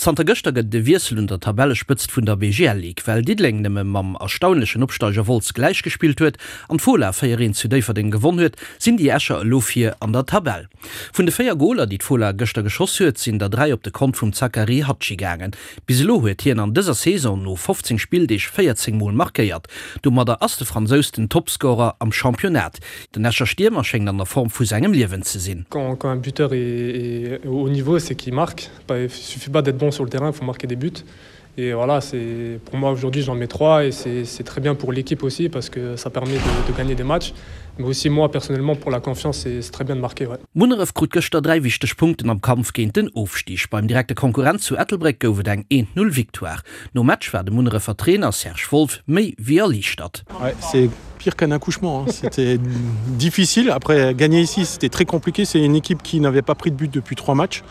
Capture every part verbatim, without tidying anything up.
Zanter gëschter gëtt et e Wiessel un der Tabellespëtzt vun der B G L Ligue. Well Diddeleng nëmme mam erstaunlechen Opsteiger Wolz gläichgespillt huet an d'Fola véier eent zu Déifferdeng gewonn huet, sinn déi Escher elo vir an der Tabell. Vun de véier Goler, déi d'Fola gëschter geschoss huet, sinn der dräi op de Kont vum Zachary Hadji gaangen. Bis elo huet hien an dëser Saison no fofzéng Spilldeeg véierzéng Mol markéiert. Domadder ass de Fransous den Topscorer am Championnat. Den Escher Stiermer schéngt an der Form vu sengem Liewen ze sinn. Quand, quand un buteur est, est au haut niveau, c'est qu'il marque. Il suffit pas d'être bon sur le terrain, il faut marquer des buts. Et voilà, c'est pour moi aujourd'hui j'en mets trois et c'est très bien pour l'équipe aussi parce que ça permet de, de gagner des matchs. Mais aussi moi personnellement pour la confiance, c'est très bien de marquer. Ouais. Munneref krut gëschter dräi wichteg Punkten am Kampf géint den Ofstig. Beim direkte Konkurrent zu Ettelbréck gouf et eng eent null Victoire. Nom Match war de Munnerefer Trainer Serge Wolff méi wéi erliichtert. Ouais, c'est pire qu'un accouchement, hein. C'était difficile. Après, gagner ici, c'était très compliqué. C'est une équipe qui n'avait pas pris de but depuis trois matchs.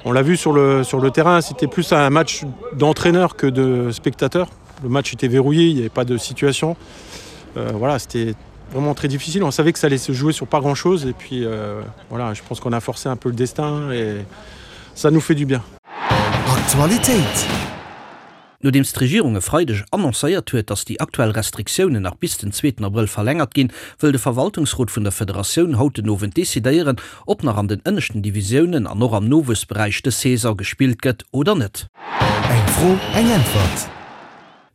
On l'a vu sur le, sur le terrain, c'était plus un match d'entraîneur que de spectateur. Le match était verrouillé, il n'y avait pas de situation. Euh, voilà, c'était vraiment très difficile. On savait que ça allait se jouer sur pas grand-chose. Et puis euh, voilà, je pense qu'on a forcé un peu le destin et ça nous fait du bien. Aktualitéit. Nodeems d'Regierung e Freideg annoncéiert huet, datt déi aktuell Restriktiounen nach bis den zweeten Abrëll verlängert ginn, wëll de Verwaltungsrot vun der Federatioun haut den Owend decidéieren, ob nach an den ënneschten Divisiounen an och am Nowuessberäich dës Saison gespillt gëtt oder net. Eng Fro, eng Äntwert.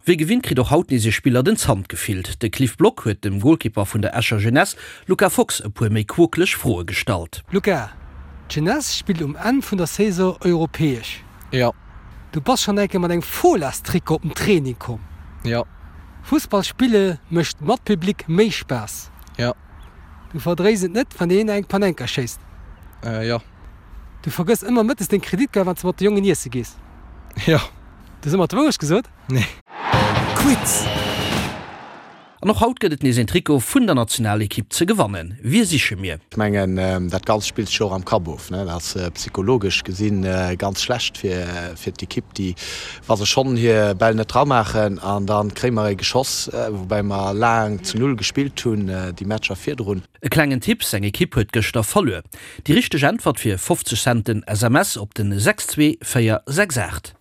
Wéi gewinnt kritt och haut nees e Spiller den Zant gefillt. De Cliff Block huet dem Golkipper vun der Escher Jeunesse, Luca Fox, e puer méi quokeleg Froe gestallt. Luca, d'Jeunesse spillt um Enn vun der Saison europäesch. Jo. Du bass schonn eng Kéier mat engem Folastrikot op den Training komm. Jo. Fussball spille mécht mat Public méi Spaass. Jo. Du verdréis et net, wann een eng Panenka schéisst. Äh, jo. Du vergëss ëmmer mëttes deng Kreditkaart, wann s de mat de Jongen iesse gees. Jo. Du hues ëmmer d'Wourecht gesot? Nee. Quiz. An och haut gëtt et nees en Trikot vun der Nationalekipp ze gewannen. Wie siche mir? Ech mengen, dat Ganzt spillt sech och am Kapp of, ne? Dat ass psychologesch gesinn ganz schlecht fir fir d'Ekipp, déi wa se schonn hir Bäll net dramaachen an da kréie mer ee geschoss, woubäi mer laang zu null gespillt hunn déi Matcher virdrun. E klengen Tipp, Seng Ekipp huet gëschter verluer. Déi richteg Äntwert fir fofzeg Centen S M S op den sechs zwee véier sechs aacht.